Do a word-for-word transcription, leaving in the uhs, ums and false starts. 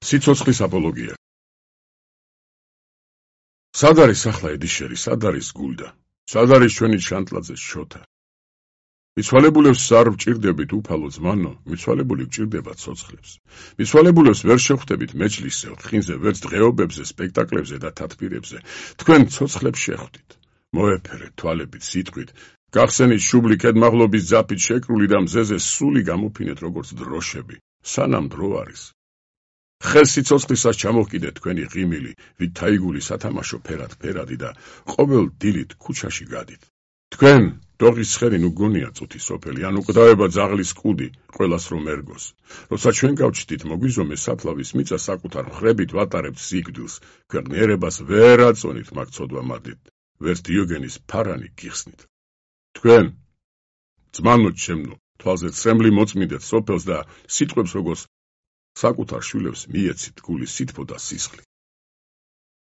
სიცოცხლის აპოლოგია. სად არის ახლა ედიშერი, სად არის გულდა? სად არის ჩვენი შანტლაძე შოთა? მიცვალებულებს არ ვჭირდებით უფალო ძმანო, მიცვალებული ვჭირდება ცოცხლებს. მიცვალებულებს ვერ შეხვდებით მეჯლისზე, ხინზე, ვერც დღეობებზე, სპექტაკლებზე და თათბირებზე. თქვენ ცოცხლებს შეხვდით. მოეფერეთ თვალებით, სიტყვით, გახსენით შუბლი კედმაღლობის ძაფით შეკრული და მზეზე სული გამოფინეთ როგორც დროშები. სანამ დრო არის. ხეს სიცოცხლისას ჩამოვკიდეთ თქვენი ღიმილი, ვით თაიგული სათამაშო ფერად ფერადი და ყოველ დილით ქუჩაში გადით. თქვენ დოღის ცხენი ნუ გონია წუთი სოფელი, ან უკვდავება ძაღლის კუდი, ყველას რომ ერგოს. როცა ჩვენ გავჩდით მოგვიზომე საფლავის მიწა საკუთარ მხრებით ვატარებთ სიკვდილს, ქვეყნიერებას ვერ აწონით მაგ ცოდვა მადით, ვერც დიოგენის ფარანი გიხსნით. თქვენ ძმანო ჩემნო, თვალზე ცრემლი მოწმინდეთ სოფელს და სიტყვებს როგორც საკუთარ შვილებს მიეცით გულის სითბო და სისხლი.